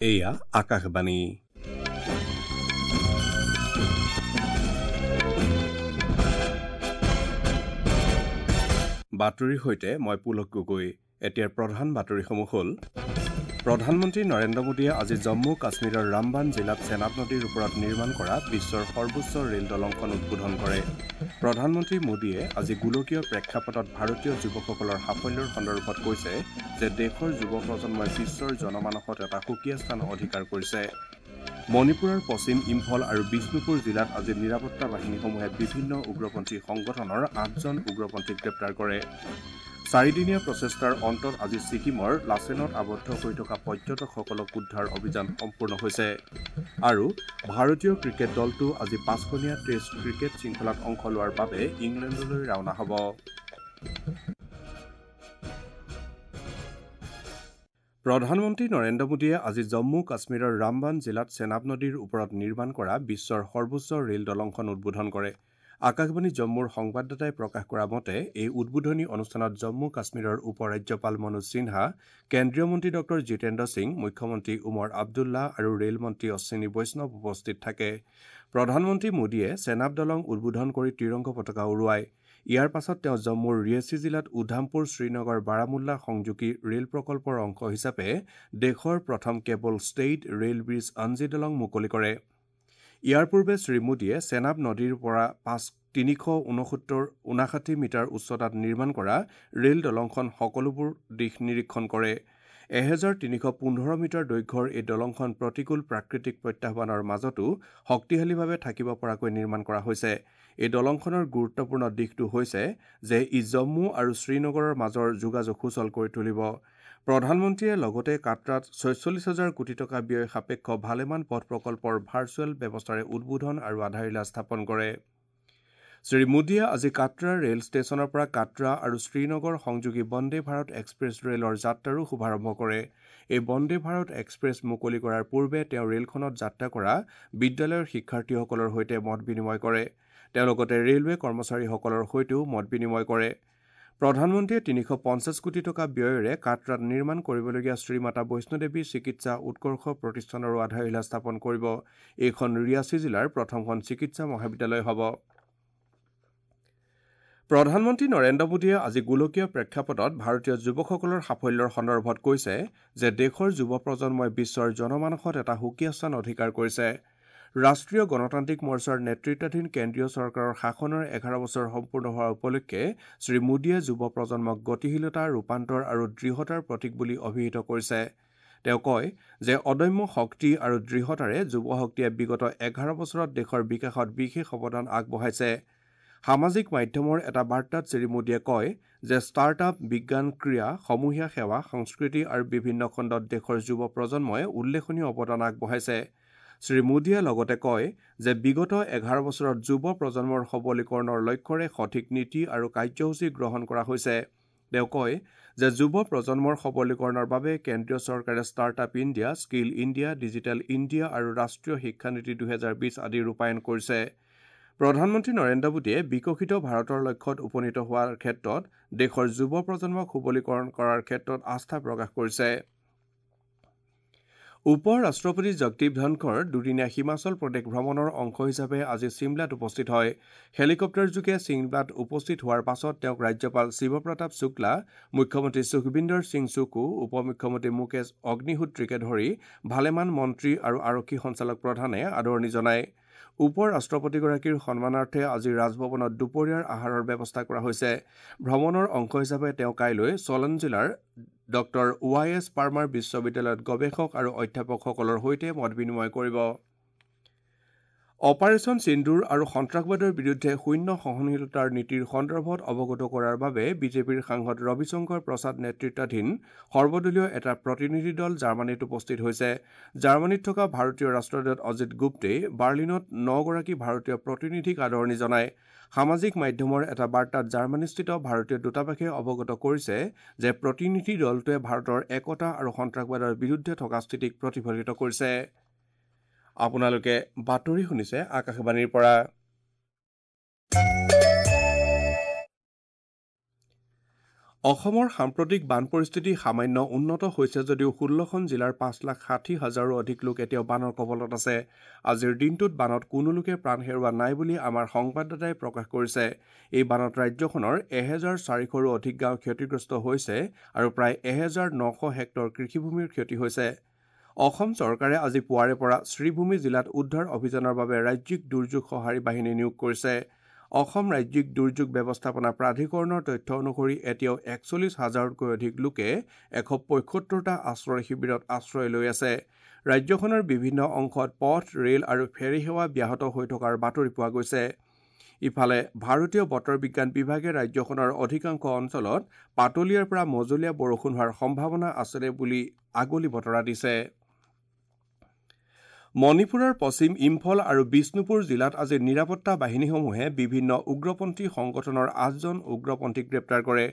এয়া আকাশবাণী। বাতৰিৰ সৈতে মই পুলক গগৈ। এতিয়াৰ প্ৰধান বাতৰিসমূহ হ'ল: প্ৰধানমন্ত্ৰী নৰেন্দ্ৰ মোদীয়ে আজি জম্মু কাশ্মীৰৰ ৰামবান জিলাত চেনাব নদীৰ ওপৰত নিৰ্মাণ কৰা বিশ্বৰ সৰ্বোচ্চ ৰেল দলংখন উদ্বোধন কৰে। প্ৰধানমন্ত্ৰী মোদীয়ে আজি গোলকীয় প্ৰেক্ষাপটত ভাৰতীয় যুৱকসকলৰ সাফল্যৰ সন্দৰ্ভত কৈছে যে দেশৰ যুৱ প্ৰজন্মই বিশ্বৰ জনমানসত এটা সুকীয়া স্থান অধিকাৰ কৰিছে। মণিপুৰৰ পশ্চিম ইম্ফল আৰু বিষ্ণুপুৰ জিলাত আজি নিৰাপত্তা বাহিনীসমূহে বিভিন্ন উগ্ৰপন্থী সংগঠনৰ ৮জন উগ্ৰপন্থীক গ্ৰেপ্তাৰ কৰে। চাৰিদিনীয়া প্ৰচেষ্টাৰ অন্তত আজি ছিকিমৰ লাচেনত আবদ্ধ হৈ থকা পৰ্যটকসকলক উদ্ধাৰ অভিযান সম্পূৰ্ণ হৈছে। আৰু ভাৰতীয় ক্ৰিকেট দলটো আজি ৫খনীয়া টেষ্ট ক্ৰিকেট শৃংখলাত অংশ লোৱাৰ বাবে ইংলেণ্ডলৈ ৰাওনা হ'ব। প্ৰধানমন্ত্ৰী নৰেন্দ্ৰ মোদীয়ে আজি জম্মু কাশ্মীৰৰ ৰামবান জিলাত চেনাব নদীৰ ওপৰত নিৰ্মাণ কৰা বিশ্বৰ সৰ্বোচ্চ ৰেল দলংখন উদ্বোধন কৰে। আকাশবাণী জম্মুৰ সংবাদদাতাই প্ৰকাশ কৰা মতে এই উদ্বোধনী অনুষ্ঠানত জম্মু কাশ্মীৰৰ উপ ৰাজ্যপাল মনোজ সিনহা, কেন্দ্ৰীয় মন্ত্ৰী ডঃ জিতেন্দ্ৰ সিং, মুখ্যমন্ত্ৰী উমৰ আব্দুল্লাহ আৰু ৰেল মন্ত্ৰী অশ্বিনী বৈষ্ণৱ উপস্থিত থাকে। প্ৰধানমন্ত্ৰী মোদীয়ে চেনাব দলং উদ্বোধন কৰি ত্ৰিৰংগ পতাকা উৰুৱায়। ইয়াৰ পাছত তেওঁ জম্মুৰ ৰিয়াছি জিলাত উধামপুৰ শ্ৰীনগৰ বাৰামুল্লা সংযোগী ৰেল প্ৰকল্পৰ অংশ হিচাপে দেশৰ প্ৰথম cable stayed rail bridge Anji দলং মুকলি কৰে। ইয়াৰ পূৰ্বে শ্ৰীমোদীয়ে চেনাব নদীৰ পৰা ৩৫৯ মিটাৰ উচ্চতাত নিৰ্মাণ কৰা ৰেল দলংখন সকলোবোৰ দিশ নিৰীক্ষণ কৰে। ১৩১৫ মিটাৰ দৈৰ্ঘ্যৰ এই দলংখন প্ৰতিকূল প্ৰাকৃতিক প্ৰত্যাহ্বানৰ মাজতো শক্তিশালীভাৱে থাকিব পৰাকৈ নিৰ্মাণ কৰা হৈছে। এই দলংখনৰ গুৰুত্বপূৰ্ণ দিশটো হৈছে যে ই জম্মু আৰু শ্ৰীনগৰৰ মাজৰ যোগাযোগ সুচল কৰি তুলিব। প্ৰধানমন্ত্ৰীয়ে লগতে কাটৰাত ৪৬ হাজাৰ কোটি টকা ব্যয় সাপেক্ষ ভালেমান পথ প্ৰকল্পৰ ভাৰ্চুৱেল ব্যৱস্থাৰে উদ্বোধন আৰু আধাৰশিলা স্থাপন কৰে। শ্ৰী মোদীয়ে আজি কাটৰা ৰেল ষ্টেচনৰ পৰা কাটৰা আৰু শ্ৰীনগৰ সংযোগী বন্দে ভাৰত এক্সপ্ৰেছ ৰেলৰ যাত্ৰাৰো শুভাৰম্ভ কৰে। এই বন্দে ভাৰত এক্সপ্ৰেছ মুকলি কৰাৰ পূৰ্বে তেওঁ ৰেলখনত যাত্ৰা কৰা বিদ্যালয়ৰ শিক্ষাৰ্থীসকলৰ সৈতে মত বিনিময় কৰে। তেওঁ লগতে ৰেলৱে কৰ্মচাৰীসকলৰ সৈতেও মত বিনিময় কৰে। প্ৰধানমন্ত্ৰীয়ে ৩৫০ কোটি টকা ব্যয়েৰে কাটৰাত নিৰ্মাণ কৰিবলগীয়া শ্ৰীমাতা বৈষ্ণোদেৱী চিকিৎসা উৎকৰ্ষ প্ৰতিষ্ঠানৰো আধাৰশিলা স্থাপন কৰিব। এইখন ৰিয়াছি জিলাৰ প্ৰথমখন চিকিৎসা মহাবিদ্যালয় হ'ব। প্ৰধানমন্ত্ৰী নৰেন্দ্ৰ মোদীয়ে আজি গোলকীয় প্ৰেক্ষাপটত ভাৰতীয় যুৱকসকলৰ সাফল্যৰ সন্দৰ্ভত কৈছে যে দেশৰ যুৱ প্ৰজন্মই বিশ্বৰ জনমানসত এটা সুকীয়া স্থান অধিকাৰ কৰিছে। ৰাষ্ট্ৰীয় গণতান্ত্ৰিক মৰ্চাৰ নেতৃত্বাধীন কেন্দ্ৰীয় চৰকাৰৰ শাসনৰ ১১ বছৰ সম্পূৰ্ণ হোৱাৰ উপলক্ষে শ্ৰী মোদীয়ে যুৱ প্ৰজন্মক গতিশীলতা, ৰূপান্তৰ আৰু দৃঢ়তাৰ প্ৰতীক বুলি অভিহিত কৰিছে। তেওঁ কয় যে অদম্য শক্তি আৰু দৃঢ়তাৰে যুৱ শক্তিয়ে বিগত ১১ বছৰত দেশৰ বিকাশত বিশেষ অৱদান আগবঢ়াইছে। সামাজিক মাধ্যমৰ এটা বাৰ্তাত শ্ৰী মোদীয়ে কয় যে ষ্টাৰ্টআপ, বিজ্ঞান, ক্ৰীড়া, সমূহীয়া সেৱা, সংস্কৃতি আৰু বিভিন্ন খণ্ডত দেশৰ যুৱ প্ৰজন্মই উল্লেখনীয় অৱদান আগবঢ়াইছে। শ্ৰী মোদীয়ে লগতে কয় যে বিগত ১১ বছৰত যুৱ প্ৰজন্মৰ সবলীকৰণৰ লক্ষ্যৰে সঠিক নীতি আৰু কাৰ্যসূচী গ্ৰহণ কৰা হৈছে। তেওঁ কয় যে যুৱ প্ৰজন্মৰ সবলীকৰণৰ বাবে কেন্দ্ৰীয় চৰকাৰে startup India, skill India, digital India আৰু ৰাষ্ট্ৰীয় শিক্ষানীতি ২০২০ আদি ৰূপায়ণ কৰিছে। প্ৰধানমন্ত্ৰী নৰেন্দ্ৰ মোদীয়ে বিকশিত ভাৰতৰ লক্ষ্যত উপনীত হোৱাৰ ক্ষেত্ৰত দেশৰ যুৱ প্ৰজন্মক সবলীকৰণ কৰাৰ ক্ষেত্ৰত আস্থা প্ৰকাশ কৰিছে। উপ ৰাষ্ট্ৰপতি জগদীপ ধনখৰ দুদিনীয়া হিমাচল প্ৰদেশ ভ্ৰমণৰ অংশ হিচাপে আজি ছিমলাত উপস্থিত হয়। হেলিকপ্টাৰযোগে ছিমলাত উপস্থিত হোৱাৰ পাছত তেওঁক ৰাজ্যপাল শিৱপ্ৰতাপ শুক্লা, মুখ্যমন্ত্ৰী সুখবিন্দৰ সিং চুকু, উপ মুখ্যমন্ত্ৰী মুকেশ অগ্নিহোত্ৰীকে ধৰি ভালেমান মন্ত্ৰী আৰু আৰক্ষী সঞ্চালক প্ৰধানে আদৰণি জনায়। উপ ৰাষ্ট্ৰপতিগৰাকীৰ সন্মানাৰ্থে আজি ৰাজভৱনত দুপৰীয়াৰ আহাৰৰ ব্যৱস্থা কৰা হৈছে। ভ্ৰমণৰ অংশ হিচাপে তেওঁ কাইলৈ চলন জিলাৰ ডঃ ৱাই এছ পাৰ্মাৰ বিশ্ববিদ্যালয়ত গৱেষক আৰু অধ্যাপকসকলৰ সৈতে মত বিনিময় কৰিব। অপাৰেচন সিন্দুৰ আৰু সন্ত্ৰাসবাদৰ বিৰুদ্ধে শূন্য সহনশীলতাৰ নীতিৰ সন্দৰ্ভত অৱগত কৰাৰ বাবে বিজেপিৰ সাংসদ ৰবিশংকৰ প্ৰসাদ নেতৃত্বাধীন সৰ্বদলীয় এটা প্ৰতিনিধি দল জাৰ্মানীত উপস্থিত হৈছে। জাৰ্মানীত থকা ভাৰতীয় ৰাষ্ট্ৰদূত অজিত গুপ্তেই বাৰ্লিনত ৯গৰাকী ভাৰতীয় প্ৰতিনিধিক আদৰণি জনায়। সামাজিক মাধ্যমৰ এটা বাৰ্তাত জাৰ্মানীস্থিত ভাৰতীয় দূতাবাসে অৱগত কৰিছে যে প্ৰতিনিধি দলটোৱে ভাৰতৰ একতা আৰু সন্ত্ৰাসবাদৰ বিৰুদ্ধে থকা স্থিতিক প্ৰতিফলিত কৰিছে। আপোনালোকে বাতৰি শুনিছে আকাশবাণীৰ পৰা। অসমৰ সাম্প্ৰতিক বান পৰিস্থিতি সামান্য উন্নত হৈছে যদিও ১৬খন জিলাৰ ৫,৬০,০০০ৰো অধিক লোক এতিয়াও বানৰ কবলত আছে। আজিৰ দিনটোত বানত কোনো লোকে প্ৰাণ হেৰুওৱা নাই বুলি আমাৰ সংবাদদাতাই প্ৰকাশ কৰিছে। এই বানত ৰাজ্যখনৰ ১,৪০০ৰো অধিক গাঁও ক্ষতিগ্ৰস্ত হৈছে আৰু প্ৰায় ১,৯০০ হেক্টৰ কৃষিভূমিৰ ক্ষতি হৈছে। অসম চৰকাৰে আজি পুৱাৰে পৰা শ্ৰীভূমি জিলাত উদ্ধাৰ অভিযানৰ বাবে ৰাজ্যিক দুৰ্যোগ সঁহাৰি বাহিনী নিয়োগ কৰিছে। অসম ৰাজ্যিক দুৰ্যোগ ব্যৱস্থাপনা প্ৰাধিকৰণৰ তথ্য অনুসৰি এতিয়াও ৪১ হাজাৰতকৈ অধিক লোকে ১৭৫টা আশ্ৰয় শিবিৰত আশ্ৰয় লৈ আছে। ৰাজ্যখনৰ বিভিন্ন অংশত পথ, ৰেল আৰু ফেৰী সেৱা ব্যাহত হৈ থকাৰ বাতৰি পোৱা গৈছে। ইফালে ভাৰতীয় বতৰ বিজ্ঞান বিভাগে ৰাজ্যখনৰ অধিকাংশ অঞ্চলত পাতলীয়াৰ পৰা মজলীয়া বৰষুণ হোৱাৰ সম্ভাৱনা আছে বুলি আগলি বতৰা দিছে। মণিপুৰৰ পশ্চিম ইম্ফল আৰু বিষ্ণুপুৰ জিলাত আজি নিৰাপত্তা বাহিনীসমূহে বিভিন্ন উগ্ৰপন্থী সংগঠনৰ ৮জন উগ্ৰপন্থীক গ্ৰেপ্তাৰ কৰে।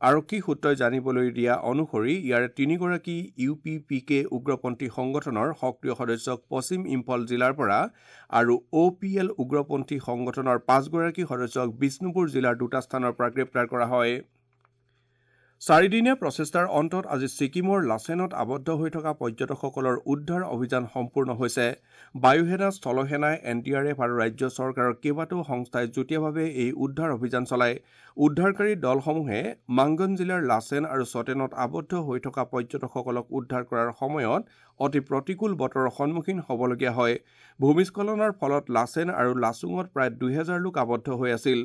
আৰক্ষী সূত্ৰই জানিবলৈ দিয়া অনুসৰি ইয়াৰে ৩গৰাকী ইউ পি পি কে উগ্ৰপন্থী সংগঠনৰ সক্ৰিয় সদস্যক পশ্চিম ইম্ফল জিলাৰ পৰা আৰু অ' পি এল উগ্ৰপন্থী সংগঠনৰ ৫গৰাকী সদস্যক বিষ্ণুপুৰ জিলাৰ দুটা স্থানৰ পৰা গ্ৰেপ্তাৰ কৰা হয়। চাৰিদিনীয়া প্ৰচেষ্টাৰ অন্তত আজি ছিকিমৰ লাচেনত আবদ্ধ হৈ থকা পৰ্যটকসকলৰ উদ্ধাৰ অভিযান সম্পূৰ্ণ হৈছে। বায়ুসেনা, স্থলসেনা, এন ডি আৰ এফ আৰু ৰাজ্য চৰকাৰৰ কেইবাটাও সংস্থাই যুটীয়াভাৱে এই উদ্ধাৰ অভিযান চলায়। উদ্ধাৰকাৰী দলসমূহে মাংগন জিলাৰ লাচেন আৰু চটেনত আবদ্ধ হৈ থকা পৰ্যটকসকলক উদ্ধাৰ কৰাৰ সময়ত অতি প্ৰতিকূল বতৰৰ সন্মুখীন হ'বলগীয়া হয়। ভূমিস্খলনৰ ফলত লাচেন আৰু লাচুঙত প্ৰায় ২০০০ লোক আবদ্ধ হৈ আছিল।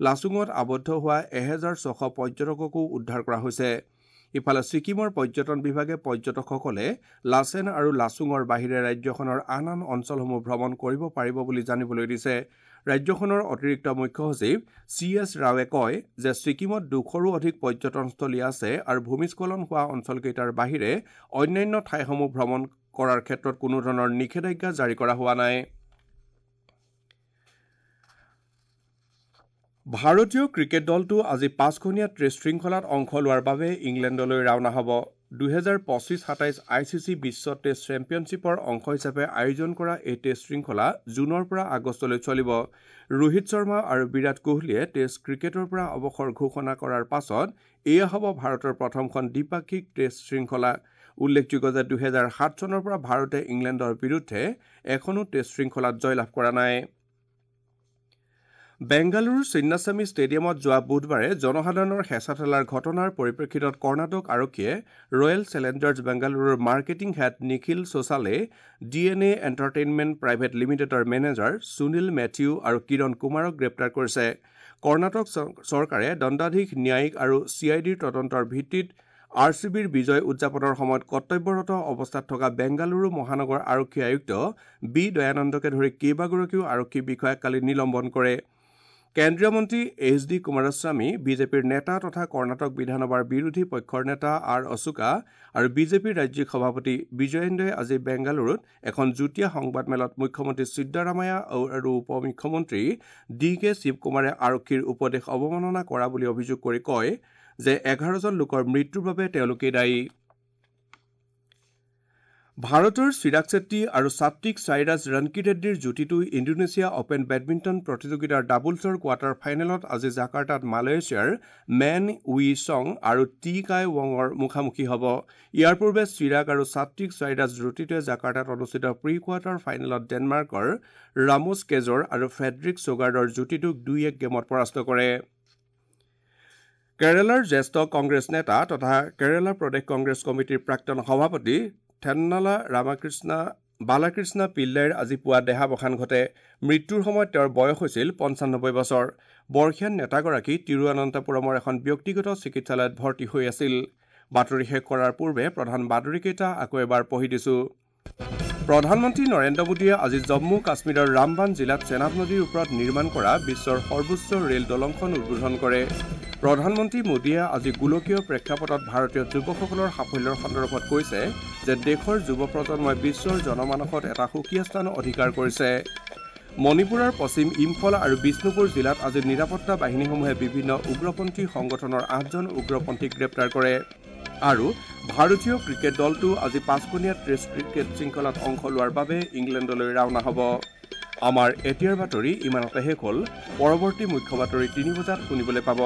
লাচুঙত আবদ্ধ হোৱা ১৬০০ পৰ্যটককো উদ্ধাৰ কৰা হৈছে। ইফালে ছিকিমৰ পৰ্যটন বিভাগে পৰ্যটকসকলে লাচেন আৰু লাচুঙৰ বাহিৰে ৰাজ্যখনৰ আন আন অঞ্চলসমূহ ভ্ৰমণ কৰিব পাৰিব বুলি জানিবলৈ দিছে। ৰাজ্যখনৰ অতিৰিক্ত মুখ্য সচিব চি এছ ৰাৱে কয় যে ছিকিমত ২০০ৰো অধিক পৰ্যটনস্থলী আছে আৰু ভূমিস্খলন হোৱা অঞ্চলকেইটাৰ বাহিৰে অন্যান্য ঠাইসমূহ ভ্ৰমণ কৰাৰ ক্ষেত্ৰত কোনো ধৰণৰ নিষেধাজ্ঞা জাৰি কৰা হোৱা নাই। ভাৰতীয় ক্ৰিকেট দলটো আজি ৫খনীয়া টেষ্ট শৃংখলাত অংশ লোৱাৰ বাবে ইংলেণ্ডলৈ ৰাওনা হ'ব। ২০২৫-২৭ I C C Biswa test চেম্পিয়নশ্বিপৰ অংশ হিচাপে আয়োজন কৰা এই টেষ্ট শৃংখলা জুনৰ পৰা আগষ্টলৈ চলিব। ৰোহিত শৰ্মা আৰু বিৰাট কোহলীয়ে টেষ্ট ক্ৰিকেটৰ পৰা অৱসৰ ঘোষণা কৰাৰ পাছত এয়া হ'ব ভাৰতৰ প্ৰথমখন দ্বিপাক্ষিক টেষ্ট শৃংখলা। উল্লেখযোগ্য যে ২০০৭ চনৰ পৰা ভাৰতে ইংলেণ্ডৰ বিৰুদ্ধে এখনো টেষ্ট শৃংখলাত জয়লাভ কৰা নাই। বেংগালুৰুৰ চিন্নাস্বামী ষ্টেডিয়ামত যোৱা বুধবাৰে জনসাধাৰণৰ হেঁচা ঠেলাৰ ঘটনাৰ পৰিপ্ৰেক্ষিতত কৰ্ণাটক আৰক্ষীয়ে ৰয়েল চেলেঞ্জাৰ্ছ বেংগালুৰুৰ marketing head Nikhil Sosale, D N A entertainment private লিমিটেডৰ মেনেজাৰ সুনীল মেথিউ আৰু কিৰণ কুমাৰক গ্ৰেপ্তাৰ কৰিছে। কৰ্ণাটক চৰকাৰে দণ্ডাধীশ, ন্যায়িক আৰু চি I ডিৰ তদন্তৰ ভিত্তিত আৰ চি বিৰ বিজয় উদযাপনৰ সময়ত কৰ্তব্যৰত অৱস্থাত থকা বেংগালুৰু মহানগৰ আৰক্ষী আয়ুক্ত বি দয়ানন্দকে ধৰি কেইবাগৰাকীও আৰক্ষী বিষয়াক কালি নিলম্বন কৰে। কেন্দ্ৰীয় মন্ত্ৰী এইচ ডি কুমাৰস্বামী, বিজেপিৰ নেতা তথা কৰ্ণাটক বিধানসভাৰ বিৰোধী পক্ষৰ নেতা আৰ অশোকা আৰু বিজেপিৰ ৰাজ্যিক সভাপতি বিজয়েন্দ্ৰই আজি বেংগালুৰুত এখন যুটীয়া সংবাদমেলত মুখ্যমন্ত্ৰী সিদ্দাৰামায়া আৰু উপ মুখ্যমন্ত্ৰী ডি কে শিৱকুমাৰে আৰক্ষীৰ উপদেশ অৱমাননা কৰা বুলি অভিযোগ কৰি কয় যে ১১জন লোকৰ মৃত্যুৰ বাবে তেওঁলোকেই দায়ী। ভাৰতৰ চিৰাগ চেট্টি আৰু সাত্বিক সাইৰাজ ৰংকিৰেড্ডীৰ যুটিটো ইণ্ডোনেছিয়া অপেন বেডমিণ্টন প্ৰতিযোগিতাৰ ডাবলছৰ কোৱাৰ্টাৰ ফাইনেলত আজি জাকাৰ্টাত মালয়েছিয়াৰ মেন উই চং আৰু টি কাই ৱঙৰ মুখামুখি হ'ব। ইয়াৰ পূৰ্বে চিৰাগ আৰু সাত্বিক সাইৰাজ যুটিটোৱে জাকাৰ্টাত অনুষ্ঠিত প্ৰি কোৱাৰ্টাৰ ফাইনেলত ডেনমাৰ্কৰ ৰামোছ কেজৰ আৰু ফ্ৰেডৰিক সোগাৰ্ডৰ যুটিটোক ২-১ গেমত পৰাস্ত কৰে। কেৰালাৰ জ্যেষ্ঠ কংগ্ৰেছ নেতা তথা কেৰালা প্ৰদেশ কংগ্ৰেছ কমিটিৰ প্ৰাক্তন সভাপতি থেন্নালা বালাকৃষ্ণা পিল্লাইৰ আজি পুৱা দেহাৱসান ঘটে। মৃত্যুৰ সময়ত তেওঁৰ বয়স হৈছিল ৯৫ বছৰ। বৰ্ষীয়ান নেতাগৰাকী তিৰুৱনন্তপুৰমৰ এখন ব্যক্তিগত চিকিৎসালয়ত ভৰ্তি হৈ আছিল। বাতৰি শেষ কৰাৰ পূৰ্বে প্ৰধান বাতৰিকেইটা আকৌ এবাৰ পঢ়ি দিছো। প্ৰধানমন্ত্ৰী নৰেন্দ্ৰ মোদীয়ে আজি জম্মু কাশ্মীৰৰ ৰামবান জিলাত চেনাব নদীৰ ওপৰত নিৰ্মাণ কৰা বিশ্বৰ সৰ্বোচ্চ ৰেল দলংখন উদ্বোধন কৰে। প্ৰধানমন্ত্ৰী মোদীয়ে আজি গোলকীয় প্ৰেক্ষাপটত ভাৰতীয় যুৱকসকলৰ সাফল্যৰ সন্দৰ্ভত কৈছে যে দেশৰ যুৱ প্ৰজন্মই বিশ্বৰ জনমানসত এটা সুকীয়া স্থান অধিকাৰ কৰিছে। মণিপুৰৰ পশ্চিম ইম্ফল আৰু বিষ্ণুপুৰ জিলাত আজি নিৰাপত্তা বাহিনীসমূহে বিভিন্ন উগ্ৰপন্থী সংগঠনৰ ৮জন উগ্ৰপন্থীক গ্ৰেপ্তাৰ কৰে। আৰু ভাৰতীয় ক্ৰিকেট দলটো আজি ৫খনীয়া টেষ্ট ক্ৰিকেট শৃংখলাত অংশ লোৱাৰ বাবে ইংলেণ্ডলৈ ৰাওনা হ'ব। আমাৰ এতিয়াৰ বাতৰি ইমানতে শেষ হ'ল। পৰৱৰ্তী মুখ্য বাতৰি ৩ বজাত শুনিবলৈ পাব।